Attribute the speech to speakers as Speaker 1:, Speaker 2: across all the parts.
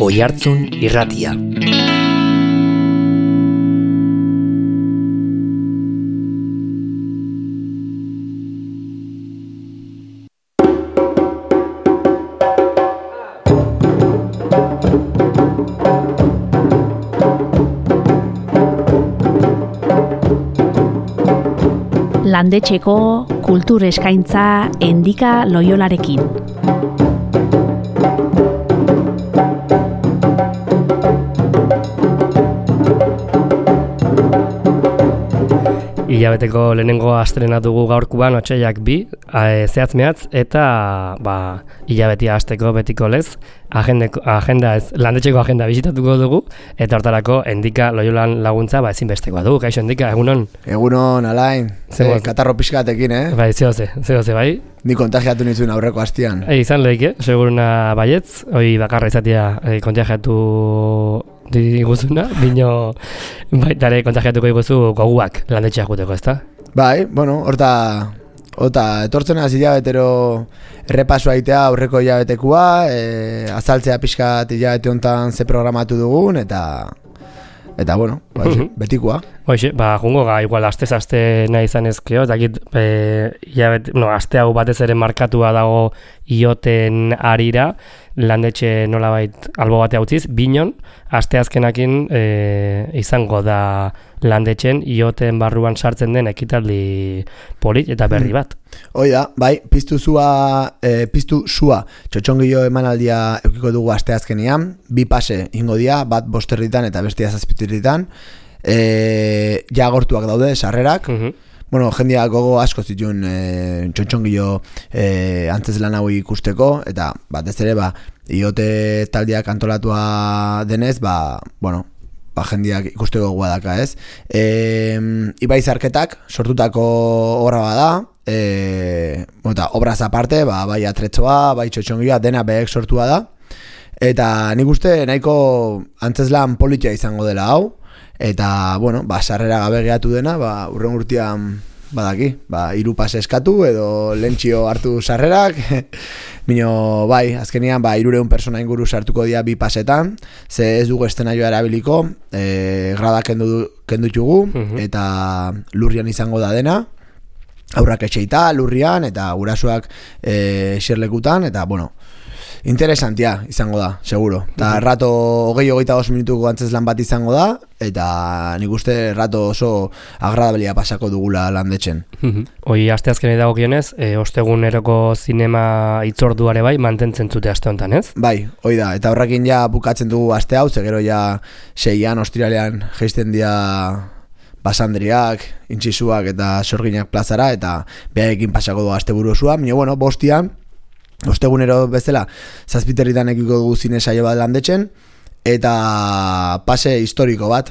Speaker 1: Oihartzun Irratia.
Speaker 2: Landetxeko kultur eskaintza Endika Loiolarekin.
Speaker 3: Hilabeteko lehenengo astrena dugu gaurkoan otsailak 2, zehatz mehatz, eta hilabetia hasteko betiko lez, landetxeko agenda bisitatuko dugu, eta hortarako Endika Loiolan laguntza ezinbestekoa dugu. Kaixo Endika, egunon?
Speaker 4: Egunon, Alain, katarro pixkatekin,
Speaker 3: Bai, zehoze, bai?
Speaker 4: Ni kontagiatu nizun aurreko hastian.
Speaker 3: Izan lehik, seguruna baietz, hoi bakarra izatea kontagiatu diguzuna, bino baitare kontagiatuko diguzu goguak landetxeak guteko, ezta?
Speaker 4: Bai, bueno, horta etortzen hasi hilabetero errepasua aitea aurreko hilabetekua, azaltzea pixkat hilabete honetan ze programatu dugun, eta bueno, betikua.
Speaker 3: Hoxe, jungo igual aste nahi izan ezkeo, dakit aste hau batez ere markatua dago ioten arira, landetxe nolabait albo bate utziz, binon, asteazkenakin izango da landetxen ioten barruan sartzen den ekitaldi polit eta berri bat.
Speaker 4: Hoi da, bai, piztu sua txotxongilo emanaldia eukiko dugu asteazkenian, 2 pase ingo dia, bat 5 eta bestia 7 ja agortuak daude sarrerak. Bueno, jendia gogo asko zituen txotxongilo antzeslan hau ikusteko, eta batez ere iote taldeak antolatua denez, jendiak ikusteko gogoa daka, ez? Ibai Zarketak sortutako obra bada, eta obraz aparte, bai atretzoa, bai txotxongiloa, dena behek sortua da, eta nik uste nahiko antzeslan politia izango dela hau, eta, sarrera gabe gehatu dena, urren urtean badaki, 3 pase eskatu edo lentxio hartu sarrerak, bino, azkenian, 300 persona inguru sartuko dira 2 pasetan, ze ez dugu estenaioa erabiliko, grada kendutugu, eta lurrian izango da dena, aurrak etxeita, lurrian, eta gurasoak xerlekutan, eta, interesantia izango da, seguro. Eta rato 20-22 minutuko antzeslan bat izango da, eta nik uste rato oso agradabelia pasako dugula landetxen.
Speaker 3: Hoi asteazkenei dagokionez, osteguneroko zinema hitzorduare mantentzen zute aste honetan, ez?
Speaker 4: Bai, hoi da, eta horrekin ja bukatzen dugu aste hau, ze gero ja 6an ostiralean jeisten dira basandriak, intxisuak eta sorginak plazara, eta behaekin pasako dugu asteburu osoa, baina, bostian, ostegunero bezala, 7 ekiko dugu zine saio bat landetxen, eta pase historiko bat,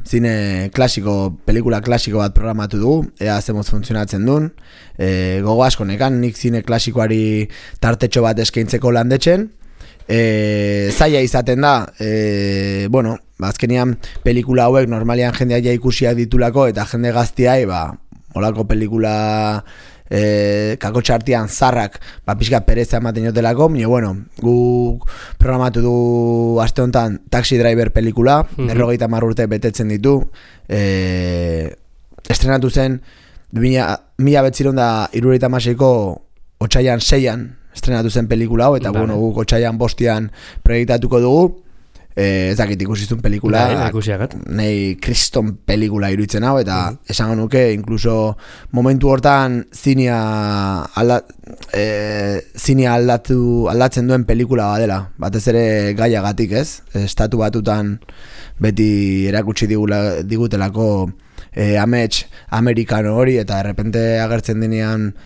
Speaker 4: zine klasiko, pelikula klasiko bat programatu dugu, ea zemoz funtzionatzen duen, gogo asko nekan, nik zine klasikoari tartetxo bat eskaintzeko landetxen, zaila izaten da, azkenian pelikula hauek normalian jendeak ja ikusiak ditulako, eta jende gaztiai, olako pelikula kakotxartian zarrak pixka pereza ematen jotelako, guk programatu du aste honetan Taxi Driver pelikula, 50 urte betetzen ditu, estrenatu zen 1976ko otsailean 6an estrenatu zen pelikula hau, eta guk otsailean 5an proiektatuko dugu. Ez dakit ikusizun pelikula, nahi kriston pelikula iruditzen hau, eta esango nuke, inkluso momentu hortan zinea aldatzen duen pelikula badela, batez ere gaiagatik, ez? Estatu batutan beti erakutsi digutelako amets amerikano hori, eta errepente agertzen denean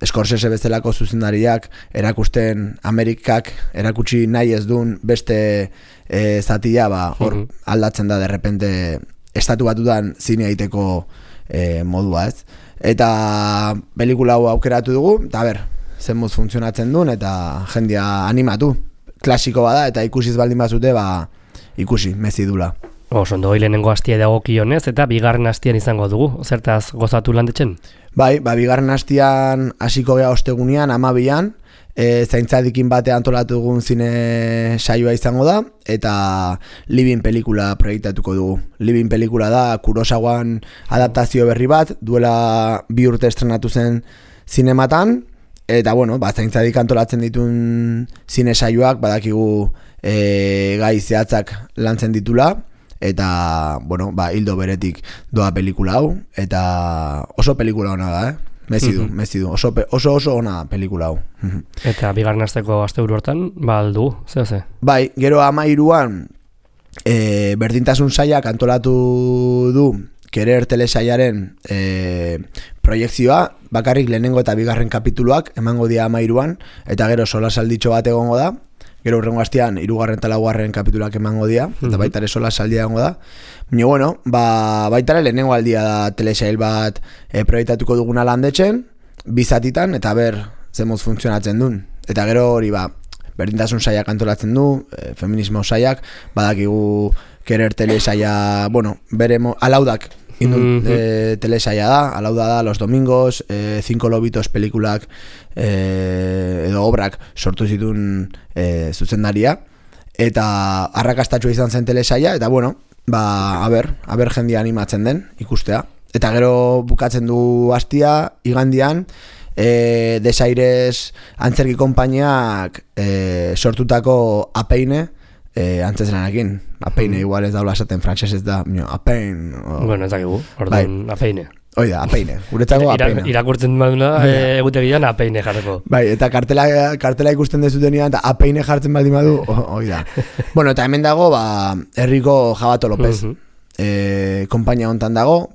Speaker 4: Scorsese bezalako zuzendariak erakusten Amerikak erakutsi nahi ez duen beste zatia, hor aldatzen da derrepente estatu batutan zinea egiteko modua, ez? Eta pelikula hau aukeratu dugu, eta zenbuz funtzionatzen duen, eta jendia animatu. Klasiko bada, eta ikusiz baldin bazute, ikusi, mezi dula.
Speaker 3: Ondo, lehenengo hastia dagokionez, eta bigarren hastian izango dugu, zertaz gozatu landetxen?
Speaker 4: Bai, bigarren hastian hasiko gea ostegunean, 12an, zaintzadikin bate antolatu dugun zine saioa izango da, eta Living pelikula proiektatuko dugu. Living pelikula da Kurosawan adaptazio berri bat, duela 2 urte estrenatu zen zinematan, eta bueno, zaintzadik antolatzen ditun zine saioak badakigu gai zehatzak lantzen ditula, eta bueno, hildo beretik doa pelikula hau, eta oso pelikula ona da, mezidu, oso ona pelikula hau.
Speaker 3: Eta bigarren asteko asteburu hortan, aldu, ze?
Speaker 4: Bai, gero 13an berdintasun sailak antolatu du Kerer telesaiaren proiekzioa, bakarrik lehenengo eta bigarren kapituluak emango dira 13an, eta gero solasalditxo bat egongo da, gero hurrengo astean 3. eta 4. kapituluak emango dira, eta baita ere solasaldia egongo da. Baina bueno, baita ere lehenengo aldia da telesail bat proiektatuko duguna Landetxen, 2 zatitan, eta ber zemoz funtzionatzen duen. Eta gero hori berdintasun saiak antolatzen du, feminismo saiak, badakigu Kerer telesaia, bere alaudak indun telesaia da, alauda da Los Domingos, 5 lobitos pelikulak edo obrak sortu zituen zuzendaria, eta arrakastatxua izan zen telesaia, eta aber jendia animatzen den ikustea. Eta gero bukatzen du astia, igandian, Desaires antzerki konpainiak sortutako Apeine, antzeslanakin. Apeine igual ez daula esaten frantsesez da, Apein.
Speaker 3: Bueno, ez dakigu, orduan Apeine.
Speaker 4: Oida, Apeine. Guretzako Apeine.
Speaker 3: Irakurtzen baduna, egutegian Apeine jarreko.
Speaker 4: Bai, eta kartela ikusten dezutenean, eta Apeine jartzen baldin badu, oida. Bueno, eta hemen dago, herriko Jabato López. Konpainia hontan dago,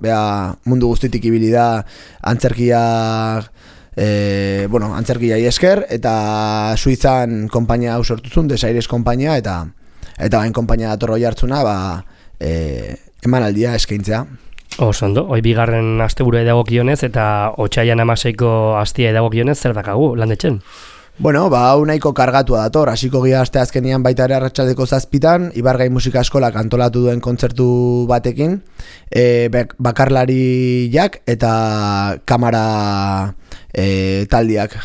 Speaker 4: mundu guztitik ibili da antzerkiak, antzerkiai esker, eta Suizan konpainia hau sortuzun, Desaires konpainia, eta bain konpainia datorro jartzuna, emanaldia eskaintzea.
Speaker 3: Ondo, hoi bigarren asteburu edagokionez eta otsailean 16ko astia edagokionez zer dakagu Landetxen?
Speaker 4: Bueno, hau nahiko kargatua dator, hasiko gira asteazkenean baita ere arratsaldeko 7 Ibargai Musika Eskolak antolatu duen kontzertu batekin, bakarlariak eta kamara taldeak,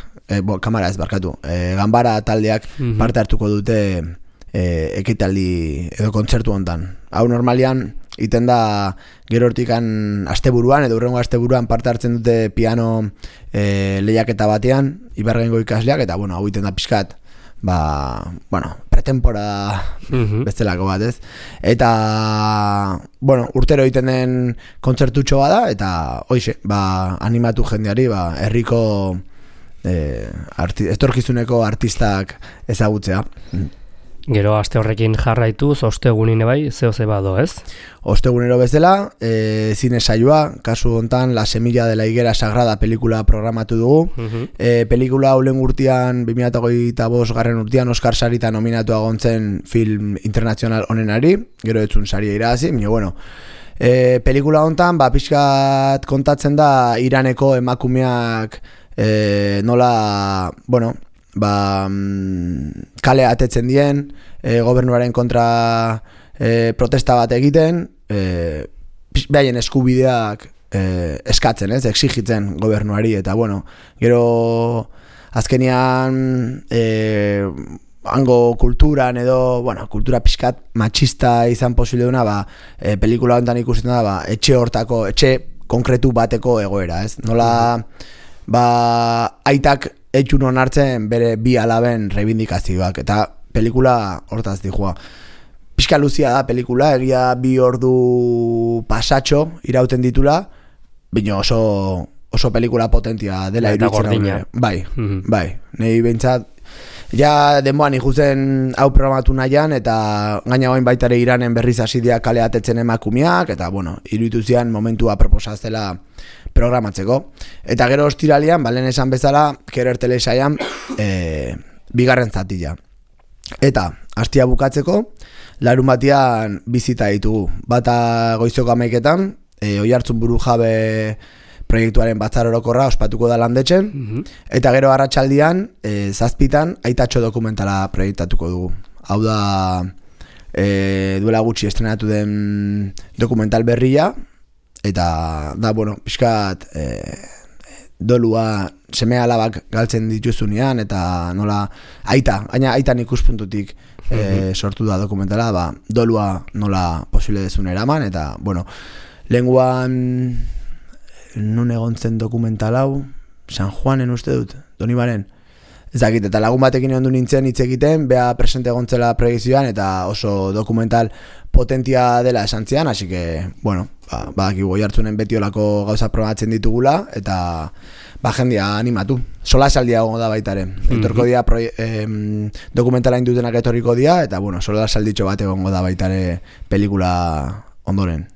Speaker 4: kamara ez barkatu, ganbara taldeak parte hartuko dute ekitaldi edo kontzertu hontan. Hau normalian iten da gero hortikan asteburuan edo hurrengo asteburuan parte hartzen dute piano lehiaketa batean Ibargaingo ikasleak, eta hau iten da pixkat pretemporada bestelako bat, ez? Eta urtero iten den kontzertutxo bada, eta hoize, animatu jendeari herriko etorkizuneko artistak ezagutzea.
Speaker 3: Gero aste horrekin jarraituz, ostegunine bai, zehose bado, ez?
Speaker 4: Ostegunero bezala, zine saioa, kasu hontan La Semilla de la Higuera Sagrada pelikula programatu dugu. Pelikula hau lehen urtean, 2025 urtean, Oscar Sarita nominatu agontzen film internazional honenari, gero etzun saria irabazi, pelikula hontan, pixkat kontatzen da Iraneko emakumeak nola, kale atetzen dien, gobernuaren kontra protesta bat egiten, behaien eskubideak eskatzen, exigitzen gobernuari, eta gero azkenean hango kulturan edo, kultura pixkat machista izan posible duna, pelikula honetan ikusten da, etxe konkretu bateko egoera, ez? Nola, aitak etxun onartzen bere 2 alaben reivindikazioak, eta pelikula hortaz dijoa. Pixka luzia da pelikula, egia 2 ordu pasatxo irauten ditula, baina oso pelikula potentia dela iruditzen hau. Bai, nahi behintzat, ja denboan ikusten hau programatu nahian, eta gaina bain baitare Iranen berriz hasideak kale atetzen emakumeak, eta iruditu zian momentua proposaztela programatzeko. Eta gero ostiralian, lehen esan bezala, Kerer telesaian bigarren zatila. Eta, astia bukatzeko, larun batean bizita ditugu. Bata goizoko 11etan, Oiartzun Burujabe proiektuaren batzar orokorra ospatuko da Landetxen, eta gero arratsaldian 7 Aitatxo dokumentala proiektatuko dugu. Hau da, duela gutxi estrenatu den dokumental berria, eta da, pixkat dolua seme alabak galtzen dituzunean, eta nola aitan ikuspuntutik sortu da dokumentala, dolua nola posible dezun eraman, eta, bueno, lenguan nun egontzen dokumental hau, San Juanen uste dut, Donibaren. Ezakit, eta lagun batekin ondu nintzen hitz egiten, bea presente egontzela proiekzioan, eta oso dokumental potentia dela esan zian, así que, bueno, badakigu Oiartzunen beti olako gauza probatzen ditugula, eta jendia animatu. Sola saldia gongo da baitare. Etorko dia dokumentala indutenak etorriko dia, eta, bueno, sola salditxo bat egongo da baitare pelikula ondoren.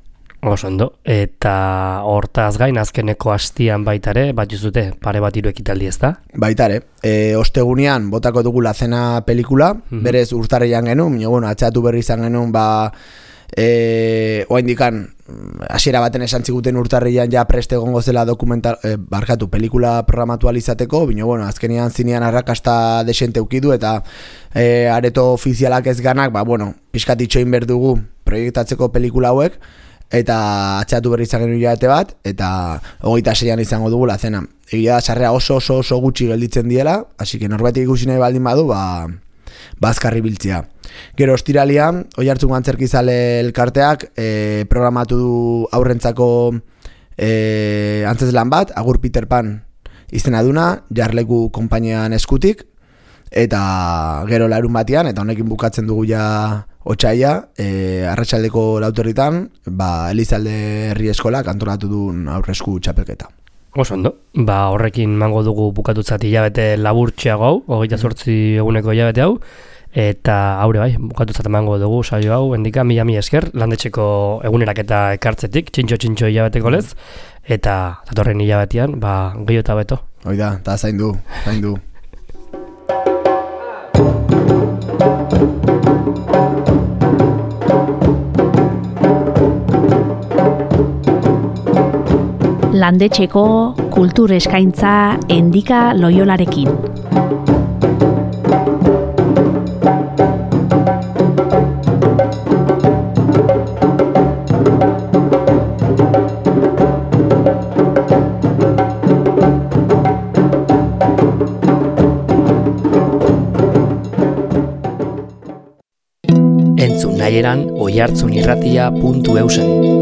Speaker 3: Oso ondo, eta hortaz gain azkeneko hastian baitare, bat juzute, pare bat hiru ekitaldi ez da?
Speaker 4: Baitare, ostegunean botako dugu La Cena pelikula, berez urtarrian genuen, bueno, atxatu berri izan genuen, oaindikan, hasiera baten esan ziguten urtarrian ja preste egongo zela pelikula programatu alizateko, bino, bueno, azkenean zinean arrakasta desente ukidu, eta areto ofizialak ez ganak, bueno, pixkat itxoin berdugu proiektatzeko pelikula hauek, eta atxatu berri izan genuen jabete bat, eta 26an izango dugu La Cena. Egia da, sarrea oso gutxi gelditzen diela, hasi que norbatik ikusi nahi baldin badu, azkarri biltzea. Gero ostiralian, Oiartzun Antzerkizale elkarteak programatu du aurrentzako antzeslan bat, Agur Peter Pan izena duna, Jarleku konpainian eskutik, eta gero larun batean, eta honekin bukatzen dugu ja otsaila, arratsaldeko 4:00 Elizalde Herri Eskolak antolatu duen aurresku txapelketa.
Speaker 3: Oso ondo, horrekin mango dugu bukatutzat hilabete laburtxeago hau, 28 eguneko hilabete hau, eta haure bai, bukatutzat mango dugu saio hau, endika, mila esker, landetxeko eguneraketa ekartzetik, txintxo hilabeteko lez, eta datorren hilabetean, gehiago eta beto.
Speaker 4: Oida, eta zaindu.
Speaker 2: Landetxeko kultur eskaintza Endika Loiolarekin.
Speaker 1: Entzun nahieran oiartzunirratia.eusen.